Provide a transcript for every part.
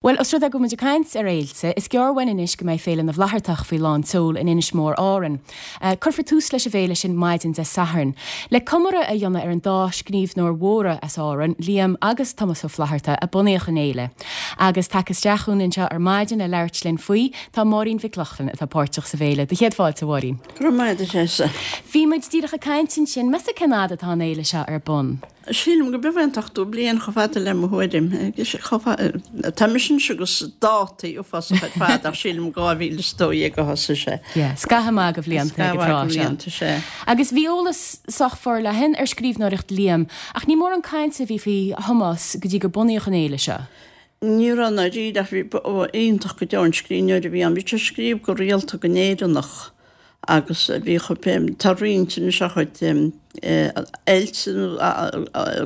Bhuel, os rud é go bhfuil muid ag caint ar fhéilte, is gearr uainn anois go mbeidh Féile na bhFlaitheartach faoi lán tseoil in Inis Mór, Árainn. Cuirfear tús leis an bhféile sin maidin Dé Sathairn. Le comóradh a dhéanamh ar an dá scríbhneoir mhóra as Árainn, Liam agus Tomás Ó Flaithearta, a bunaíodh an fhéile. Agus tagtha isteach chugainn anseo ar maidin le labhairt linn faoi, tá Máirín Mhic Lochlainn, atá páirteach sa bhféile. Do chéad fáilte, a Mháirín. Go raibh maith agat, a Threasa. Bhí muid díreach ag caint ansin. Meas tú cén fhad atá an fhéile seo ar bun? Sílim go b'fhéidir an t-ochtú bliain chomh fada le mo thuairim. Tá mise anois agus dátaí uafásach ar fad ach sílim 2012 a thosaigh sé. Yeah, scaitheamh maith de bhlianta ag an tráth seo. Scaitheamh maith de bhlianta, sea. Agus bhí eolas sách forleathan ar scríbhneoireacht Liam, ach ní mórán cainte a bhí faoi Thomás go dtí gur bunaíodh an fhéile seo. Ní raibh ndáiríre ach bhí, ba iontach go deo an scríbhneoir a bhí ann. Bhí sé ag scríobh go rialta go nÉireannach agus bhí tá roinnt anois dá chuid ailt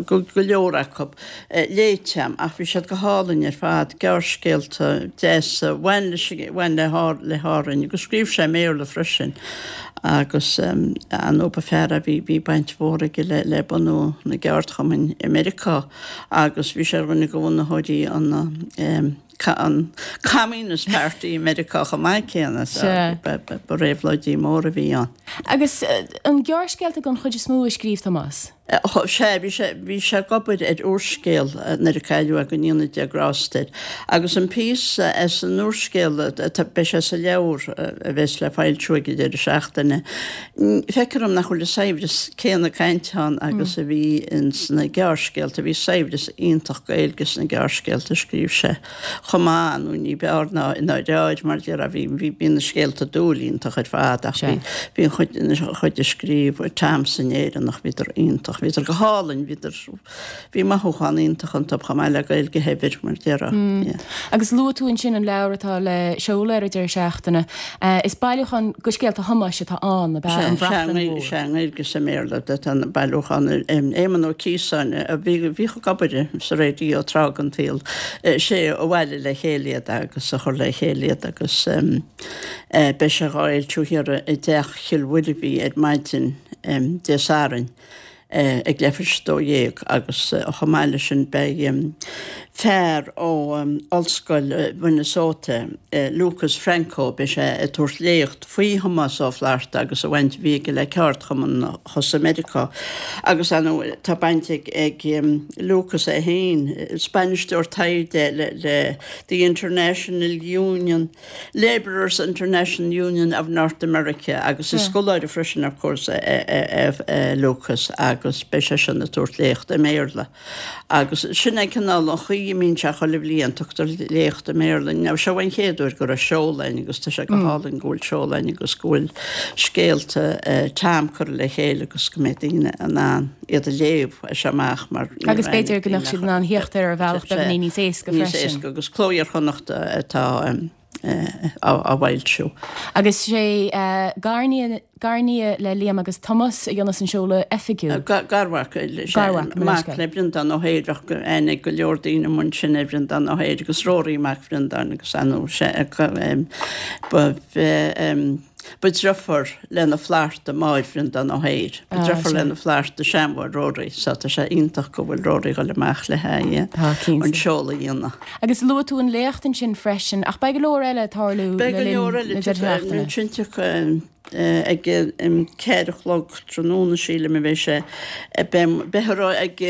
go leor acu léite agam ach bhí siad go hálainn ar fad, gearrscéalta deasa, bhain leis, bhain le le hÁrainn agus scríobh sé i mBéarla freisin agus ar ndóigh ba fear a bhí, bhí baint mhór aige le le bunú na gceardchumainn i Meiriceá. agus bhí sé ar dhuine de bhunaitheoirí an an Communist Party i Meiriceá chomh maith céanna so ba réabhlóidí mór a bhí ann. Agus an gearrscéalta den chuid is mó a scríobh Tomás? Sea, bhí sé bhí sé ag obair ar úrscéal nuair a cailleadh é go ndéana Dia grásta air. Agus an píosa as an úrscéal beidh sé sa leabhar a bheas le foilsiú ag an deireadh seachtaine. Feictear dom nach bhfuil an saibhreas céanna cainte ann agus a bhí ins na gearrscéalta. Bhí saibhreas iontach Gaeilge sna gearrscéalta a scríobh sé chomh maith, nó ní b'fhearr ná i ndáiríre, mar a déarfá, bhí, bhí, bhí na scéalta dúil iontach ar fad ach bhí, bhí an chuid, an chuid a scríobh Tom san Éireannach, bhíodar iontach, bhíodar go hálainn, bhíodar, Bhí mothúchán iontach iontu chomh maith le Gaeilge shaibhir, mar a déarfá. Agus luaigh tú ansin an leabhar atá le seoladh ar an deireadh seachtaine. Is bailiúchán de scéalta Thomáis atá ann, ab ea? An Bhrachlann Mhór. Sea, i nGaeilge is i mBéarla atá an bailiúchán. Éamonn Ó Ciosáin, a bhíodh ag obair sa raidió tráth den tsaol, sé a bhailigh le chéile iad agus a chuir le chéile iad agus beidh sé dhá fhoilsiú thiar i dTeach Chill Mhuirbhigh ar maidin Dé Sathairn. ag leathuair tar éis a 12 agus chomh maith leis sin beidh fear ó Ollscoil Mhinnesota, Lucas Franco, beidh sé ag tabhairt léacht faoi Thomás Ó Flaithearta agus an bhaint a bhí aige le ceardchumann thuas i Meiriceá agus ar ndóigh tá baint ag Lucas é féin, is bainisteoir taighde le The International Union Labourers International Union of North America agus is scoláire freisin of course é Lucas agus beidh seisean ag tabhairt léacht i mBéarla agus sin é cineál an chaoi a mbíonn sé chuile bhliain, tugtar léacht i mBéarla. Now seo an chéad uair go raibh seoladh ann agus tá sé go hálainn go bhfuil seoladh ann agus go bhfuil scéalta Tom curtha le chéile agus go mbeidh daoine in ann iad a léamh as seo amach mar ní Agus b'fhéidir go mbeadh siad in ann theacht air ar bhealach beagáinín níos éasca freisin. Níos éasca agus Cló Iar-Chonnachta atá á fhoilsiú. Agus sé garnia, garnia le Liam agus Tomás a dhéanfas an seoladh oifigiúil. Garmhac, Garmhac, mo mac le Breandán Ó hEithir, bheadh aithne ag go leor daoine amuigh ansin ar Bhreandán Ó hEithir agus Rory mac Bhreandáin agus ar ndóigh sé ba Ba driofúr le na Flaithearta máthair Bhreandán Ó hEithir. Ba driofúr le na Flaithearta seanmháthair Rory so tá sé iontach go bhfuil Rory ag dul amach le haghaidh an seoladh a dhéanamh. Agus luaigh tú an léacht ansin freisin, ach beidh go leor eile ag tarlú le linn na deireadh seachtaine. Beidh go leor eile, ag 4 a chlog tráthnóna sílim a bheidh sé. Beifear ag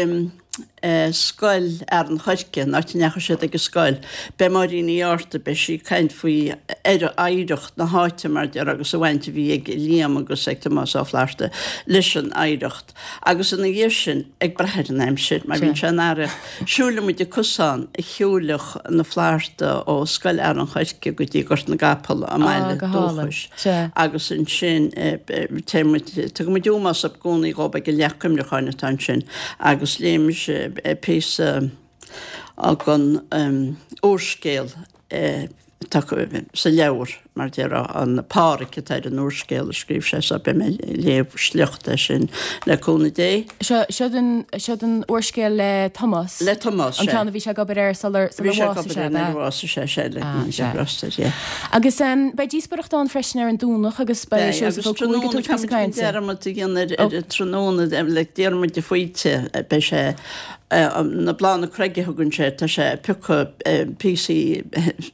Scoil Fhearann Choirce, an áit a ndeachaigh siad ag an scoil. Beidh Máirín Uí Fhátharta, beidh sí ag caint faoi oidhreacht na háite mar a déarfá agus an bhaint a bhí ag Liam agus ag Tomás Ó Flaithearta leis an oidhreacht. Agus ina dhiaidh sin, ag brath ar an aimsir, mar bíonn sé in earrach, siúlfaidh muid an cosán a shiúileadh na Flaithearta ó Scoil Fhearann Choirce go dtí Gort na gCapall, a mbaile dúchais. Agus ansin téann muid, tugann muid ómós i gcónaí dhóibh ag an leac cuimhneacháin atá ansin agus léifidh mise píosa den úrscéal atá sa leabhar. mar déarfá, an Páraic atá ar an úrscéal a scríobh sé so beidh mé ag léamh sliocht as sin le cúnamh Dé. Seo, seod an, seod an úrscéal le Tomás. Le Tomás, An ceann a bhí sé ag obair air sular, sular Bhí sé ag obair air nuair a bhásaigh sé, sea, le Ah, sea. Roster, yeah. Agus beidh díospóireacht ann freisin ar an Domhnach agus beidh Beidh, Seosamh agus Ó Cuaig ag tráthnóna, tabhairt píosa caithfidh muid cainte. dearmad a dhéanamh ar, ar an tráthnóna, le Diarmuid de Faoite, beidh sé, Na Bláthanna Craige a thugann sé, tá sé ag piocadh píosaí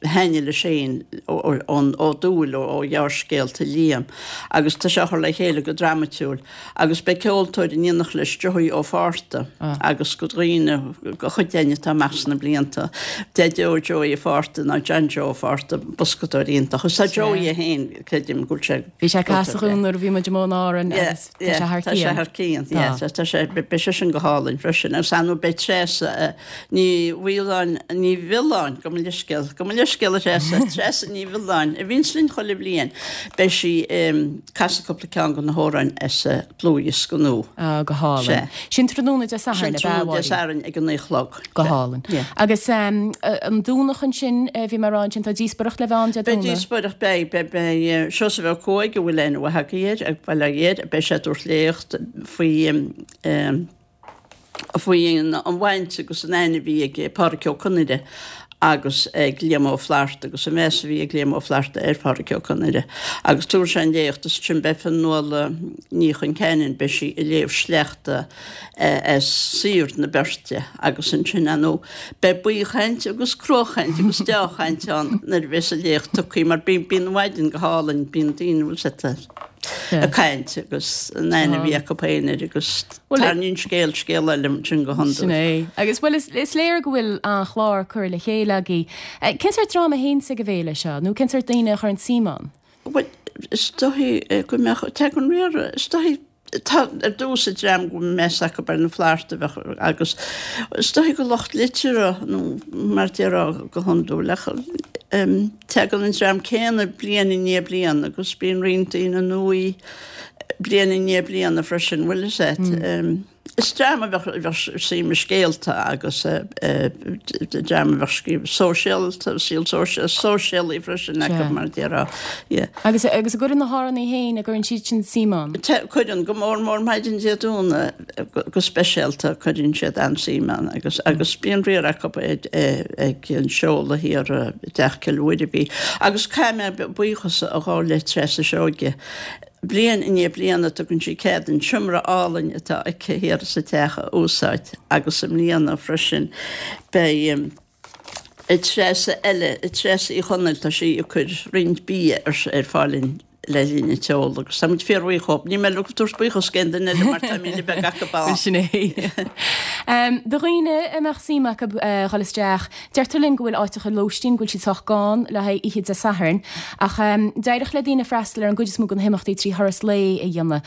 thaitnigh leis féin ón ó dúil ó ghearrscéalta Liam agus tá sé á chur le chéile go dramaitiúil agus beidh ceoltóir in éineacht leis, Joey Ó Fátharta agus go dhaoine, go chuid againn atá amach sna blianta, Deaideo Joey Ó Fátharta ná John Joe Ó Fátharta, boscadóir iontach. Agus tá Joey é féin, creidim go bhfuil sé Bhí sé ag casadh dhúinn nuair a bhí muid i mBun Árann agus tá sé thar cionn. Tá sé thar cionn, yeah. Tá sé, beidh sé sin go hálainn freisin. Agus ar ndóigh beidh Treasa Ní Mhaoláin, Ní Mhiolláin, gabh mo leithscéal, gabh mo leithscéal a Threasa, Treasa Ní Mhiolláin, a bhíonns linn chuile bhliain, beidh sí ag casadh cúpla ceann de na hamhráin as a dlúthdhiosca nua. Ah, go hálainn. Sin tráthnóna Dé Sathairn, ab ea, Sin tráthnóna Dé Sathairn ag a naoi a chlog. Go hálainn. Agus an Domhnach ansin, bhí mé ag rá ansin, tá díospóireacht le bheith ann Dé Beidh díospóireacht, beidh, beidh, beidh Seosamh Ó Cuaig, a bhfuil aithne mhaith agaibh air, ag Baile Átha Ghiorria, beidh sé ag tabhairt léacht faoi, faoi an bhaint agus an aithne a bhí ag Pádraic Ó Conaire agus ag Liam Ó Flaithearta agus an meas a bhí ag Liam Ó Flaithearta ar Phádraic Ó Conaire. Agus tabharfaidh sé an léacht agus ansin beidh Fionnuala Ní Chonceanainn, beidh sí ag léamh sleachta as saothar na beirte agus ansin, ar ndóigh, beidh baothchaint agus cruachaint agus deáchaint ann nuair a bheas an léacht tugtha mar bíonn an mhaidin go hálainn, bíonn daoine, bhfuil 's agat, ag caint agus an aithne a bhí acu féin air agus tarraingíonn scéal scéal eile ansin go hiondúil. Sin é. Agus bhuel is léir go bhfuil an-chlár curtha le chéile agaibh. Cén sórt dream a théanns ag an bhféile seo nó cén sórt daoine a chuireann suim ann? Bhuel, is dóichí go mbeadh, tagann riar, is dóichí, tá ar dtús an dream go bhfuil meas acu ar na Flaitheartaigh a bheadh agus is dóichí go lucht liteartha nó mar déarfá go hiondúil ach tagann an dream céanna bliain i ndiaidh bliana agus bíonn roinnt daoine nua bliain i ndiaidh bliana freisin, bhfuil 'fhios a't. Is dream a bheadh suim i scéalta agus dream a bheadh scríobh sóisialta, saol sóisialaí freisin acu mar a déarfá. Yeah. Agus agus an gcuireann na hÁrannaigh féin, an gcuireann siad sin suim ann? Cuireann, go mór mór maidin Dé Domhnaigh go speisialta cuireann siad an-suim ann agus agus bíonn riar acu ag an seoladh thiar i dTeach Cill Mhuirbhigh. Agus caithfidh mé buíochas a ghabháil le Treasa Seoige. Bliain i ndiaidh bliana tugann sí cead an seomra álainn atá aici thiar sa teach a úsáid agus i mbliana freisin beidh Treasa eile, Treasa Uí Chonaill, tá sí ag cur roinnt bia ar fáil le linn an tseoladh agus táimid fíorbhuíoch dhóibh. Níl mé ag tabhairt buíochas d'aon duine eile mar tá míle beag acu ann. Sin é. Do dhaoine a mbeadh suim acu dhul isteach, Deirtear linn go bhfuil áiteacha lóistín, go bhfuil siad sách gann le haghaidh oíche Dé Sathairn, ach d'éireodh le daoine freastal ar an gcuid is mó de na himeachtaí 3 thuras lae a dhéanamh.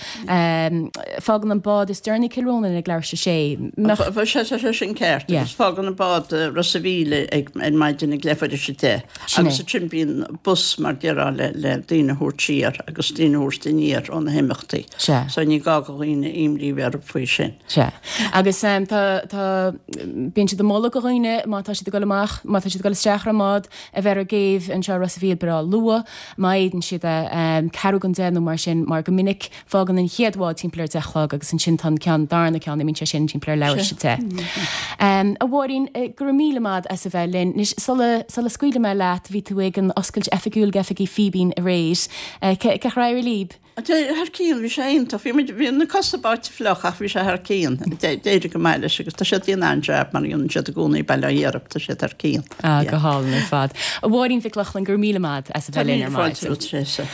Fágann an bád is deireanaí Cill Rónáin ag leathuair tar éis a sé. Mbeadh. Tá sé sin ceart, agus fágann an bád Ros a' Mhíl ag ar maidin ag leathuair tar éis a deich, agus ansin bíonn bus mar déarfá le le daoine a thabhairt siar agus daoine a thabhairt aniar ó na himeachtaí. So ní gá do dhaoine imní a bheith orthu faoi sin. Sea. Agus tá, tá, bíonn siad ag moladh do dhaoine má tá siad ag dul amach, má tá siad ag dul isteach ar an mbád, a bheith ar an gcéibh anseo i Ros a' Mhíl breá luath, má fhéadann siad é, ceathrú don deich nó mar sin, mar go minic fágann an chéad bhád timpeall ar deich a chlog agus ansin tá an ceann, darna ceann, imíonn sé sin timpeall ar leathuair tar éis a deich. A Mháirín, go raibh míle maith as a bheith linn. Anois, sula, sula scaoilfidh mé leat, bhí tú ag an oscailt oifigiúil d'oifigí Fíbín aréir. Cén chaoi ar éirigh libh? Thar cionn, bhí sé iontach. Bhí muid, bhí na cosa báite fliuch ach bhí sé thar cionn. D'éirigh go maith leis agus tá siad ag déanamh an-jab mar a dhéanann siad i gcónaí Baile Átha Ghiorria, tá siad thar cionn. Ah, go hálainn ar fad. A Mháirín Mhic Lochlainn, go raibh míle maith as a Tá bheith linn míle ar fáilte maidin. romhat, Treasa.